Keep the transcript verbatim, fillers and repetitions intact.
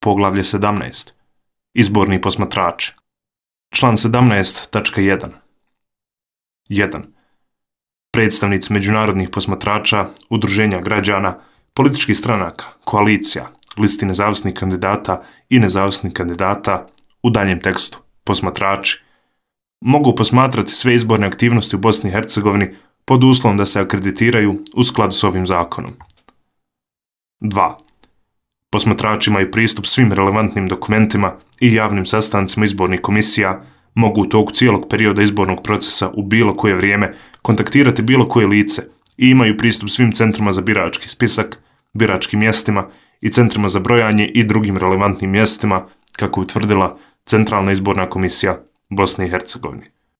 Poglavlje sedamnaest. Izborni posmatrači. Član sedamnaest tačka jedan. jedan. Predstavnici međunarodnih posmatrača, udruženja građana, političkih stranaka, koalicija, listi nezavisnih kandidata i nezavisnih kandidata, u daljem tekstu, posmatrači, mogu posmatrati sve izborne aktivnosti u Bosni i Hercegovini pod uslovom da se akreditiraju u skladu s ovim zakonom. dva. Posmatrači imaju pristup svim relevantnim dokumentima i javnim sastancima izbornih komisija, mogu u toku cijelog perioda izbornog procesa u bilo koje vrijeme kontaktirati bilo koje lice i imaju pristup svim centrima za birački spisak, biračkim mjestima i centrima za brojanje i drugim relevantnim mjestima, kako je utvrdila Centralna izborna komisija Bosne i Hercegovine.